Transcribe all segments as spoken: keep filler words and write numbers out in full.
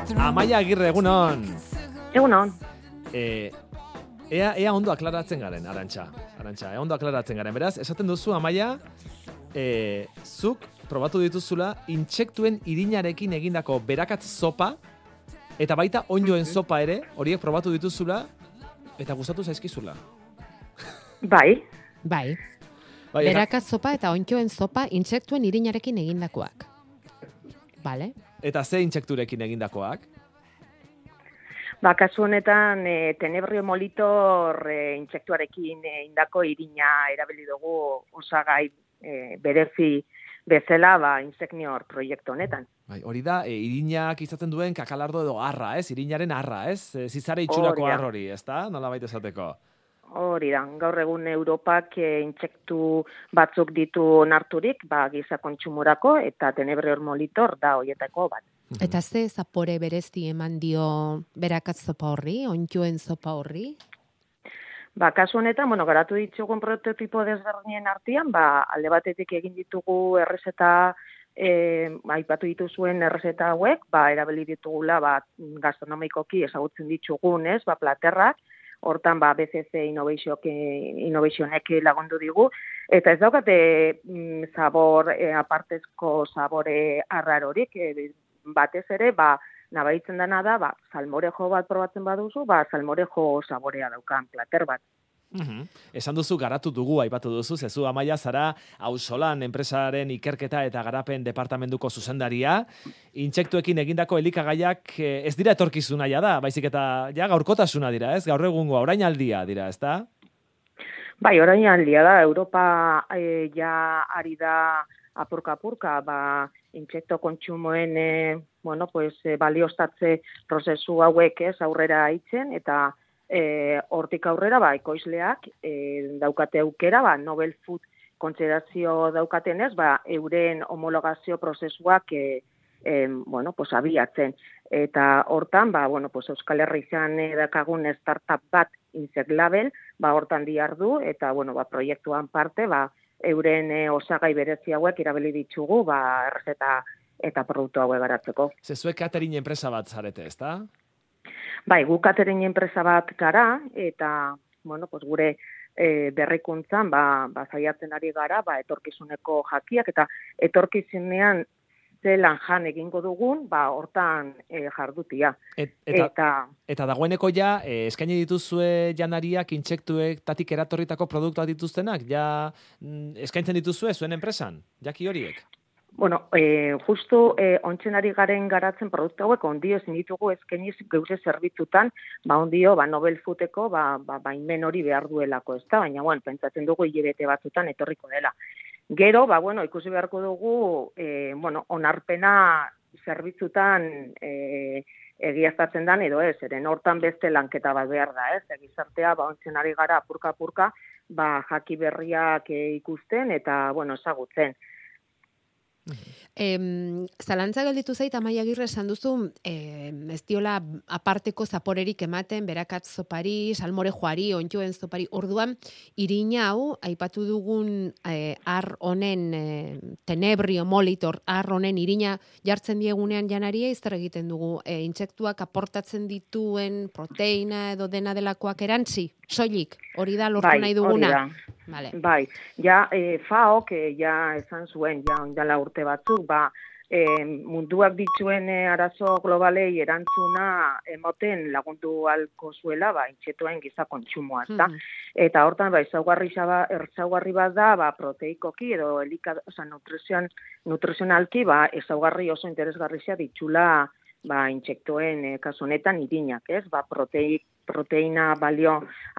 Amaia Agirre, egunon. Egunon. Eh, ea, ea ondo aklaratzen garen, Arantxa. Arantxa, ea ondo aklaratzen garen. Beraz, esaten duzu, Amaia, eh, zuk probatu dituzula intsektuen irinarekin egindako berakatz zopa, eta baita onjoen zopa ere, horiek probatu dituzula, eta gustatu zaizkizula. Bai. Bai. Bai, Berakatz zopa eta ontjoen zopa intsektuen irinarekin egindakoak. Vale. Eta ze intsekturekin egindakoak? Ba, kasu honetan, e, tenebrio molitor e, intsektuarekin egindako irina erabili dugu osagai e, berezi bezala, ba, Insecnior proiektu honetan. Bai, hori da, e, irinak izaten duen kakalardo edo arra, ez? Irinaren arra, ez? E, zizare itxurako Hori da. arrori, ez da? Nola baita esateko? Hori da, gaur egun Europak e, intsektu batzuk ditu onarturik, ba, giza kontsumorako, eta tenebrio molitor da hoietako bat. Eta ze zapore berezi eman dio berakatz zopa horri, ontjoen zopa horri? Ba, kasu honetan, bueno, garatu ditugun prototipo desberdinen artean, ba, alde batetik egin ditugu errezeta, e, aipatu dituzuen errezeta hauek, ba, erabili ditugula, ba, gastronomikoki ezagutzen ditugun, ez, ba, platerrak, hortan ba B C C Innovationek lagundu digu, eta ez daukate mm, zabor, e, apartezko zabore arrarorik, e, batez ere, ba, nabaritzen dena da, ba, salmorejo bat probatzen baduzu, ba, salmorejo saborea daukan plater bat. Uhum. Esan duzu garatu dugu, aipatu duzu, zezu Amaia zara auzolan enpresaren ikerketa eta garapen departamentuko zuzendaria, intsektuekin egindako elikagaiak eh, ez dira etorkizuna ja da, baizik eta ja gaurkotasuna dira, ez? Gaur egungo orainaldia dira, ez da? Bai, orainaldia da, Europa e, ja ari da apurka-apurka, ba, intsekto kontsumoen e, bueno, pues, e, baliostatze prozesu hauek ez aurrera itzen, eta E, hortik aurrera, ba, ekoizleak e, daukate aukera, ba, Nobel Food kontsiderazio daukatenez, ba, euren homologazio prozesuak e, e, bueno, pues, abiatzen. Eta hortan, ba, bueno, pues, Euskal Herrian dakagun startup bat Insect Label, ba, hortan diardu, eta bueno, ba, proiektuan parte, ba, euren e, osagai berezi hauek erabili ditugu, ba, errezeta eta produktu hauek garatzeko. Zezuek catering enpresa bat zarete, ez da? Bai, gu catering enpresa bat gara, eta, bueno, pues gure e, berrikuntzan, ba, ba, zaiatzen ari gara, ba, etorkizuneko jakiak, eta etorkizunean zelan jan egingo dugun, ba, hortan e, jardutia. Et, eta, eta, eta dagoeneko ja, e, eskaini dituzue janariak, intsektuek, tatik eratorritako produktuak dituztenak, ja mm, eskaintzen dituzue zuen enpresan, jaki horiek? Bueno, eh, justu eh, ontzen ari garen garatzen produktu hauek ondio ezin ditugu eskeniz geure zerbitzutan, ba ondio, ba Nobel Foodeko, ba, ba baimen hori behar duelako, ezta? Baina bueno, pentsatzen dugu hilabete batzutan etorriko dela. Gero, ba bueno, ikusi beharko dugu, eh, bueno, onarpena zerbitzutan eh, egiaztatzen dan edo ez, eren hortan beste lanketa bat behar da, ez? Gizartea ba ontzen ari gara apurka-apurka, ba jaki berriak eh, ikusten eta bueno, ezagutzen. Em, zalantza gelditu zait, Amaia Agirre esan duzu, eh, ez diola aparteko zaporerik ematen, berakatz zopari, salmorejoari, ontjoen zopari, orduan, irina hau, aipatu dugun eh, ar honen, eh, tenebrio molitor, ar honen irina jartzen diegunean janaria, izter egiten dugu, eh, intsektuak aportatzen dituen proteina edo dena delakoak erantzi, soilik, hori da lortu bai, nahi duguna. Hori da. Vale. Bai, ja eh, F A O, que ja esan zuen, ja ondala urte batzuk, ba, eh, munduak dituen eh, arazo globalei erantzuna emoten lagundu alko zuela, ba, intsektuen giza kontsumoa, ezta? Mm. Eta hortan, ba, ezaugarri, ezaugarri bat da, ba, proteikoki edo elika, oza, nutrizioan, nutrizionalki, ba, ezaugarri oso interesgarria ditxula, ba, intsektuen eh, kasu honetan irinak, ez? Ba, proteik, proteina balio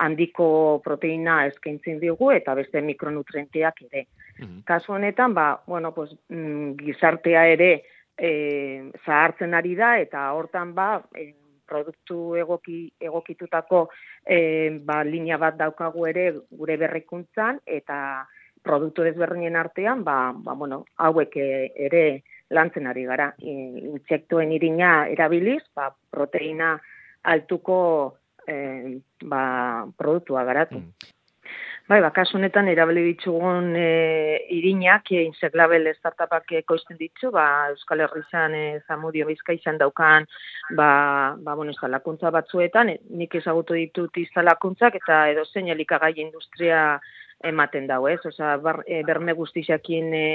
handiko proteina eskaintzen digu eta beste mikronutrienteak ere. Mm-hmm. Kasu honetan, ba, bueno, pues, mm, gizartea ere e, zahartzen ari da eta hortan ba, e, produktu egoki, egokitutako e, ba, linea bat daukagu ere gure berrikuntzan eta produktu desberdinen artean, ba, ba, bueno, hauek ere lantzen ari gara. Intsektuen irina erabiliz, ba, proteina altuko Eh, ba, produktua garatu. Mm. Bai, bakas honetan erabili ditugun e, irinak, e, Insect Label startupak ekoizten ditu, ba, Euskal Herrian e, Zamudio Bizkaian daukan, ba, ba, bueno, instalakuntza batzuetan, e, nik ezagutu ditut instalakuntzak, eta edozein elikagai industria ematen dau, ez? Osea, bar, e, berme guztiakin e,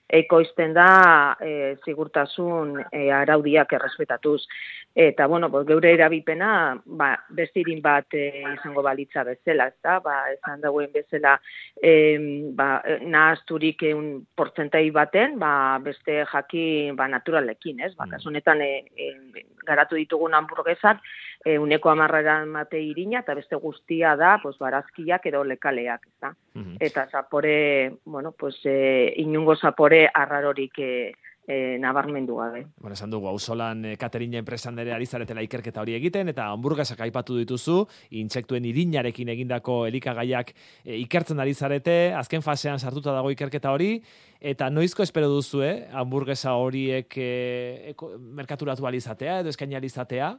ekoizten da e, sigurtasun e, araudiak errespetatuz. Eta, bueno, pues, geure erabipena, ba, beste irin bat e, izango balitza bezala, ezta? Ba, esan dagoen bezala, e, ba, nahazturik un portzentai baten, ba, beste jaki ba, naturalekin, ez? Ba, kasu honetan, e, e, garatu ditugun hamburguesak, e, uneko amarrera mate irina, eta beste guztia da, pues, barazkiak edo lekaleak, ezta? Mm-hmm. Eta zapore, bueno, pues, e, inungo zapore arrarorik e, E, nabarmendu gabe. Bueno, esan dugu, auzolan e, Katerina enpresan ere ari zaretela ikerketa hori egiten, eta hamburguesak aipatu dituzu, intsektuen irinarekin egindako elikagaiak e, ikertzen ari zarete, azken fasean sartuta dago ikerketa hori, eta noizko espero duzu, eh? Hamburguesa horiek e, eko, merkaturatu alizatea edo eskaini alizatea?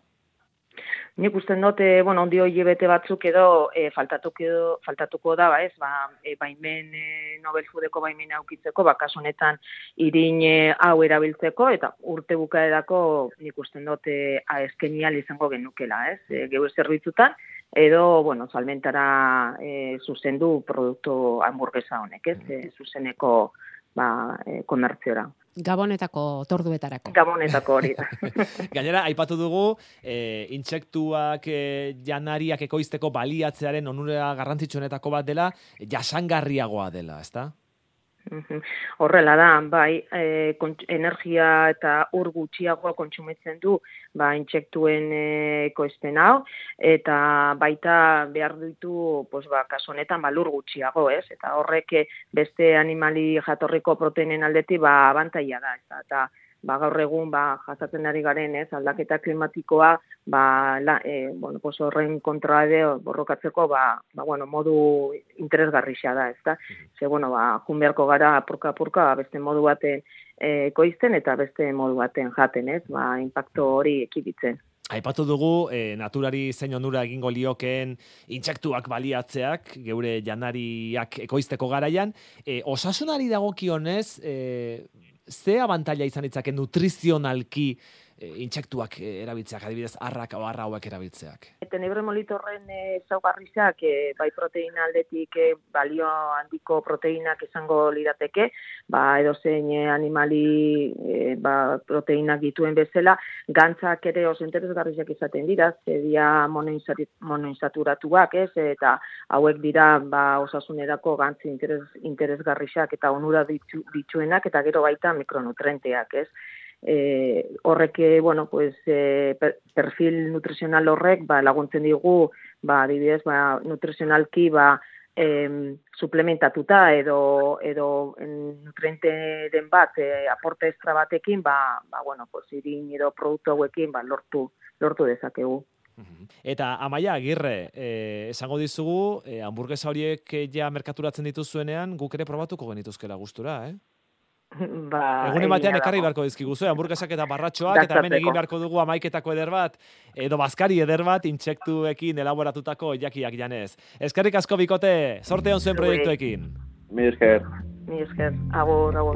Nik usten dut, e, bueno, ondio hilabete batzuk edo e, faltatuko, edo, faltatuko da, ba, ez, ba, e, baimen, e, Nobel Foodeko baimen aukitzeko, ba, kasu honetan irin e, hau erabiltzeko, eta urte bukaerako nik usten dut e, eskenial izango genukela, ez, e, geure zerbitzutan, edo, bueno, salmentara e, zuzendu produktu hamburguesa honek, ez, e, zuzeneko ba, e, komertziora. Gabonetako torduetarako. Gabonetako hori da. Gainera, aipatu dugu, e, intsektuak e, janariak ekoizteko baliatzearen onura garrantzitsuenetako bat dela, jasangarriagoa dela, ezta? Horrela da, bai, e, energia eta ur gutxiagoa kontsumitzen du, ba, intsektuen e, ekoizten hau, eta baita behar ditu, pues, ba, kasu honetan, ba, lur gutxiago, ez? Eta horrek beste animali jatorriko proteinen aldetik, ba, abantaila da, ez? Eta, ba, gaur egun, ba, jasatzen ari garen, ez? Aldaketa klimatikoa, ba, la, e, bueno, pues, horren kontra edo borrokatzeko, ba, ba, bueno, modu interesgarria da, ez da? Ze, bueno, ba, jun beharko gara apurka-apurka, beste modu baten e, ekoizten eta beste modu baten jaten, ez? Ba, impacto hori ekiditzen. Aipatu dugu, e, naturari zein onura egingo liokeen intsektuak baliatzeak, geure janariak ekoizteko garaian, e, osasunari dagokionez, e, ze abantaila izan ditzake nutrizionalki e, intsektuak e, erabiltzeak, adibidez, arrak o arra hauek erabiltzeak? Tenebre molitorren ezaugarriak e, bai proteina aldetik e, balio handiko proteinak izango lirateke, ba edozein e, animali e, ba, proteinak dituen bezala, gantzak ere oso interesgarriak izaten dira, ze dira monoinsaturatuak, ez, eta hauek dira ba osasunerako gantzi interes, interesgarriak eta onura ditu, dituenak, eta gero baita mikronutrenteak, ez. Eh, horrek, bueno, pues, eh, perfil nutrizional horrek ba, laguntzen digu, ba, adibidez, ba, nutrizionalki ba, eh, suplementatuta edo, edo nutriente den bat, eh, aporte extra batekin, ba, ba, bueno, pues, irin edo produktu hauekin ba, lortu, lortu dezakegu. Eta Amaia Agirre, eh, esango dizugu, eh, hamburguesa horiek ja merkaturatzen dituzuenean, guk ere probatuko genituzkela gustura, eh? Ba, egunen batean ekarri beharko dizkiguzu, hamburguesak eta barratxoak, eta hemen egin beharko dugu amaiketako eder bat, edo bazkari eder bat, intsektuekin elaboratutako jakiak janez. Eskerrik asko bikote, sorte on zuen proiektuekin. Mi esker. Mi esker, agur, agur.